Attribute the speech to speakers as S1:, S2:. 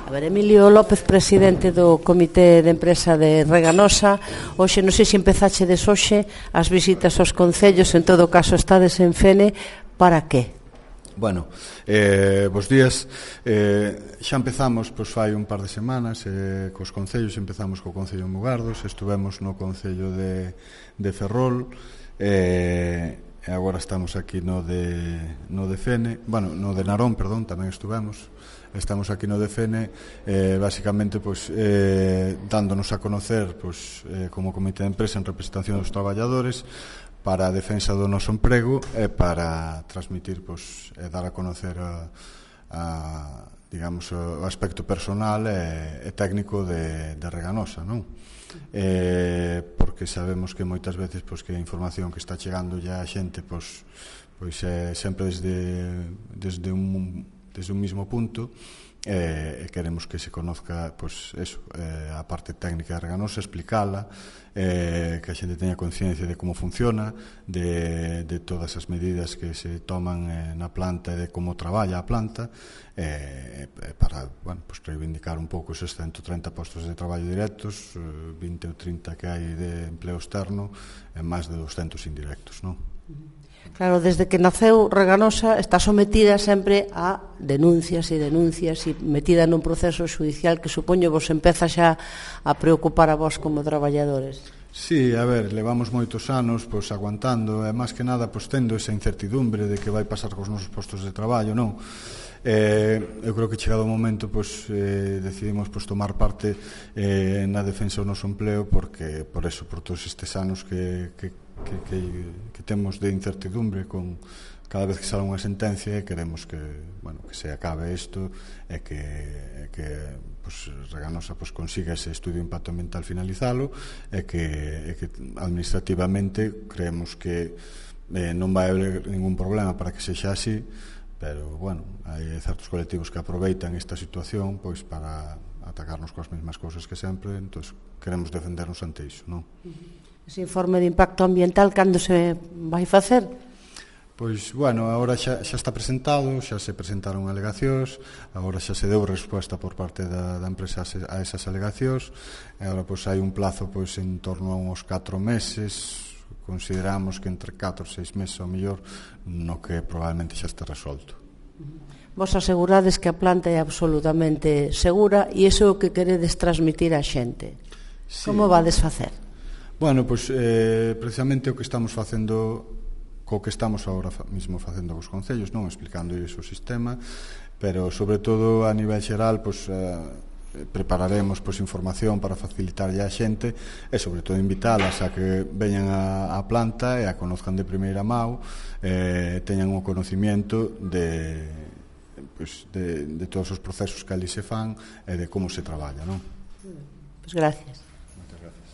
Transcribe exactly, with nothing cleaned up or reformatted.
S1: A ver, Emilio López, presidente do Comité de Empresa de Reganosa. Hoxe, non sei se empezache des hoxe as visitas aos concellos, en todo caso estades en Fene, para que?
S2: Bueno, eh, bos días. eh, Xa empezamos, pois fai un par de semanas eh, cos concellos. Empezamos co Concello de Mugardos, estuvemos no Concello de, de Ferrol, e eh, agora estamos aquí no de, no de Fene. Bueno, no de Narón, perdón, tamén estuvemos. Estamos aquí no de Fene, eh, basicamente pois, eh, dándonos a conocer pois, eh, como Comité de Empresa en representación dos traballadores para a defensa do noso emprego e para transmitir pois, e dar a conocer a, a, digamos, o aspecto personal e, e técnico de, de Reganosa, non? Eh, porque sabemos que moitas veces pois, que a información que está chegando ya a xente pois, pois é sempre desde, desde un desde un mismo punto, e eh, queremos que se conozca pois, eso, eh, a parte técnica de Reganosa, explicala, eh, que a xente teña conciencia de como funciona, de, de todas as medidas que se toman eh, na planta e de como traballa a planta, eh, para bueno, pues, reivindicar un pouco esos ciento treinta postos de traballo directos, eh, vinte ou trinta que hai de empleo externo e máis de doscentos indirectos, non?
S1: Claro, desde que naceu Reganosa está sometida sempre a denuncias e denuncias e metida nun proceso judicial que supoño vos empeza xa a preocupar a vos como traballadores.
S2: Sí, a ver, levamos moitos anos pois, aguantando e máis que nada pois, tendo esa incertidumbre de que vai pasar cos nosos postos de traballo, non? Eh, eu creo que chegado o momento pois, eh, decidimos pois, tomar parte eh, na defensa do noso empleo porque, por eso, por todos estes anos que, que, que, que, que temos de incertidumbre con cada vez que sale unha sentencia e queremos que, bueno, que se acabe isto e que, que pois, Reganosa pois, consiga ese estudio de impacto ambiental finalizalo e que, e que administrativamente creemos que eh, non vai haber ningún problema para que sexa así. Pero, bueno, hai certos colectivos que aproveitan esta situación pois para atacarnos coas mesmas cousas que sempre, entón queremos defendernos ante iso, non?
S1: Ese informe de impacto ambiental, cando se vai facer?
S2: Pois, bueno, agora xa, xa está presentado, xa se presentaron alegacións, agora xa se deu resposta por parte da, da empresa a esas alegacións, e agora pois hai un plazo pois en torno a uns catro meses, consideramos que entre catro e seis meses ao mellor no que probablemente xa este resolto.
S1: Vos asegurades que a planta é absolutamente segura e iso é o que queredes transmitir á xente. Sí. Como vades facer?
S2: Bueno, pois eh, precisamente o que estamos facendo co que estamos agora mismo facendo cos concellos, non explicando iso o sistema, pero sobre todo a nivel xeral pois eh, prepararemos pois, información para facilitarlle á xente e sobre todo invitalas a que veñan a, a planta e a conozcan de primeira mão, eh, teñan o conocimiento de, pois, de, de todos os procesos que ali se fan e de como se traballa, non?
S1: Pois gracias.
S2: Moitas gracias.